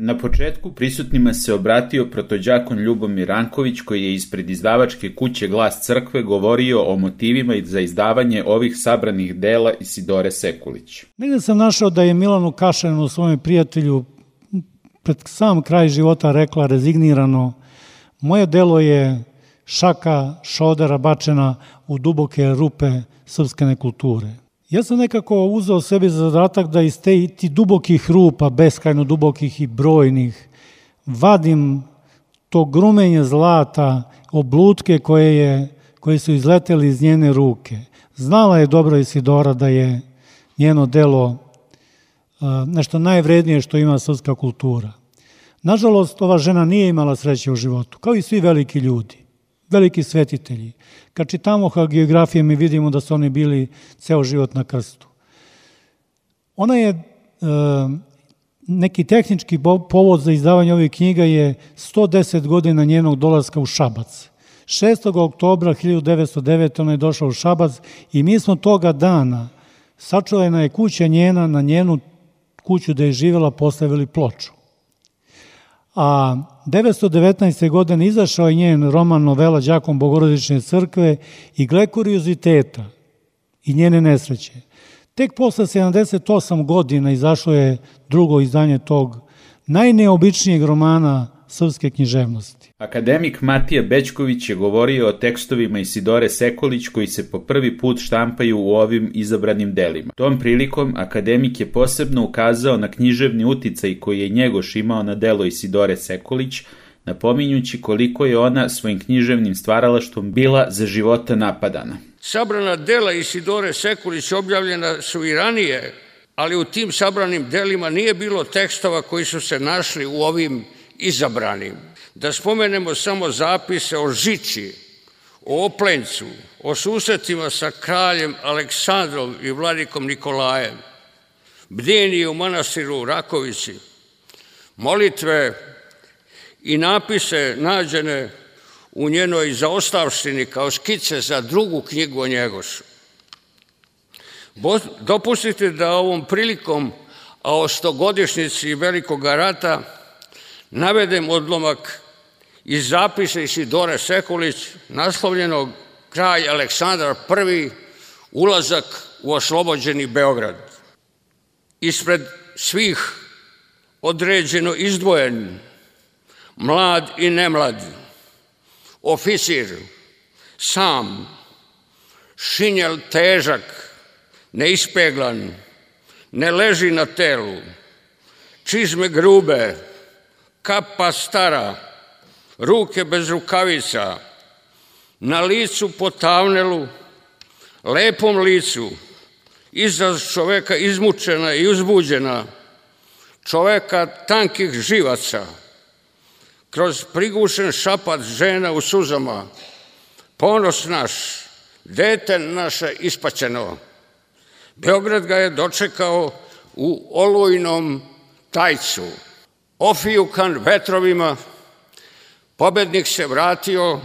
Na početku prisutnima se obratio protođakon Ljubomir Ranković, koji je ispred izdavačke kuće Glas crkve govorio o motivima za izdavanje ovih sabranih dela Isidore Sekulić. Negde sam našao da je Milanu Kašaninu, svome prijatelju, pred sam kraj života rekla rezignirano: moje delo je šaka šodera bačena u duboke rupe srpske nekulture. Ja sam nekako uzeo sebi za zadatak da iz ti dubokih rupa, beskrajno dubokih i brojnih, vadim to grumenje zlata, oblutke koje su izleteli iz njene ruke. Znala je dobro Isidora da je njeno delo nešto najvrednije što ima srpska kultura. Nažalost, ova žena nije imala sreće u životu, kao i svi veliki ljudi, veliki svetitelji. Kad čitamo hagiografije, mi vidimo da su oni bili ceo život na krstu. Ona je, neki tehnički povod za izdavanje ovih knjiga je 110 godina njenog dolaska u Šabac. 6. oktobra 1909. ona je došla u Šabac i mi smo toga dana, sačuvana je kuća njena, na njenu kuću da je živjela postavili ploču. A 1919. godine izašao je njen roman novela Đakon Bogorodične crkve i gle kurioziteta i njene nesreće. Tek posle 78 godina izašlo je drugo izdanje tog najneobičnijeg romana srpske književnosti. Akademik Matija Bećković je govorio o tekstovima Isidore Sekulić koji se po prvi put štampaju u ovim izabranim delima. Tom prilikom akademik je posebno ukazao na književni uticaj koji je Njegoš imao na delo Isidore Sekulić, napominjući koliko je ona svojim književnim stvaralaštvom bila za života napadana. Sabrana dela Isidore Sekulić objavljena su i ranije, ali u tim sabranim delima nije bilo tekstova koji su se našli u ovim izabranim. Da spomenemo samo zapise o Žiči, o Oplencu, o susretima sa kraljem Aleksandrom i vladikom Nikolajem, bdenije u manastiru Rakovići, molitve i napise nađene u njenoj zaostavštini kao skice za drugu knjigu o Njegošu. Dopustite da ovom prilikom, a o 100-godišnjici Velikog rata, navedem odlomak iz zapisa Isidore Sekulić, naslovljenog Kralj Aleksandar I, ulazak u oslobođeni Beograd. Ispred svih određeno izdvojen, mlad i nemlad, oficir, sam, šinjel težak, neispeglan, ne leži na telu, čizme grube, kapa stara, ruke bez rukavica, na licu potavnelu, lepom licu, izraz čoveka izmučena i uzbuđena, čoveka tankih živaca, kroz prigušen šapat žena u suzama, ponos naš, dete naše ispaćeno. Beograd ga je dočekao u olujnom tajcu. Ofijukan vetrovima, pobednik se vratio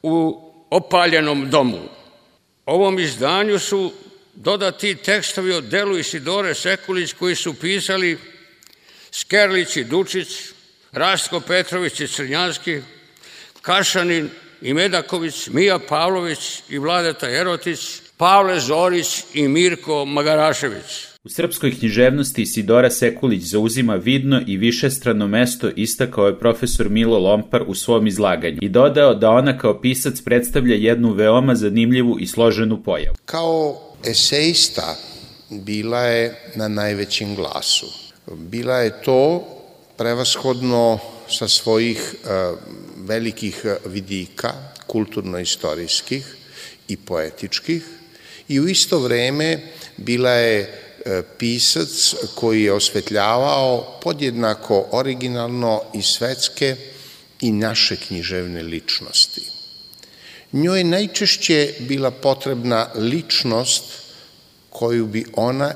u opaljenom domu. Ovom izdanju su dodati tekstovi o delu Isidore Sekulić koji su pisali Skerlić i Dučić, Rastko Petrović i Crnjanski, Kašanin i Medaković, Mija Pavlović i Vladeta Erotić, Pavle Zorić i Mirko Magarašević. U srpskoj književnosti Isidora Sekulić zauzima vidno i višestrano mesto, istakao je profesor Milo Lompar u svom izlaganju i dodao da ona kao pisac predstavlja jednu veoma zanimljivu i složenu pojavu. Kao eseista bila je na najvećem glasu. Bila je to prevashodno sa svojih velikih vidika, kulturno-istorijskih i poetičkih, i u isto vreme bila je pisac koji je osvetljavao podjednako originalno i svetske i naše književne ličnosti. Njoj je najčešće bila potrebna ličnost koju bi ona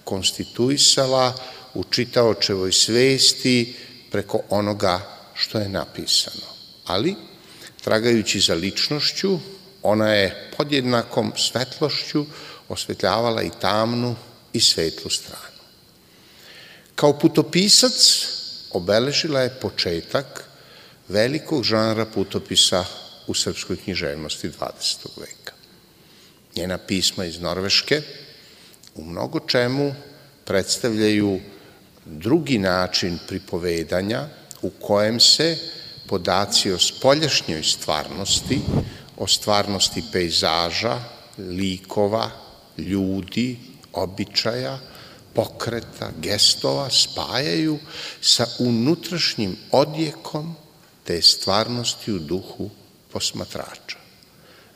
konstituisala u čitaočevoj svesti preko onoga što je napisano. Ali, tragajući za ličnošću, ona je podjednakom svetlošću osvetljavala i tamnu i svetlu stranu. Kao putopisac, obeležila je početak velikog žanra putopisa u srpskoj književnosti 20. veka. Njena pisma iz Norveške u mnogo čemu predstavljaju drugi način pripovedanja u kojem se podaci o spoljašnjoj stvarnosti, o stvarnosti pejzaža, likova, ljudi, običaja, pokreta, gestova spajaju sa unutrašnjim odjekom te stvarnosti u duhu posmatrača.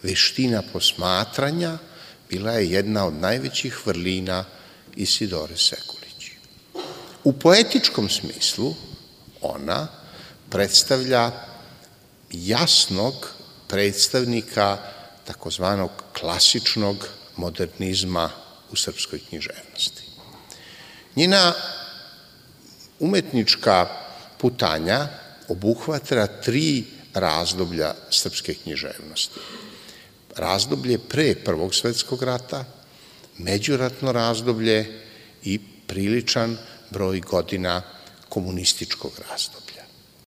Veština posmatranja bila je jedna od najvećih vrlina Isidore Sekulić. U poetičkom smislu ona predstavlja jasnog predstavnika takozvanog klasičnog modernizma u srpskoj književnosti. Njena umetnička putanja obuhvata 3 razdoblja srpske književnosti. Razdoblje pre Prvog svetskog rata, međuratno razdoblje i priličan broj godina komunističkog razdoblja.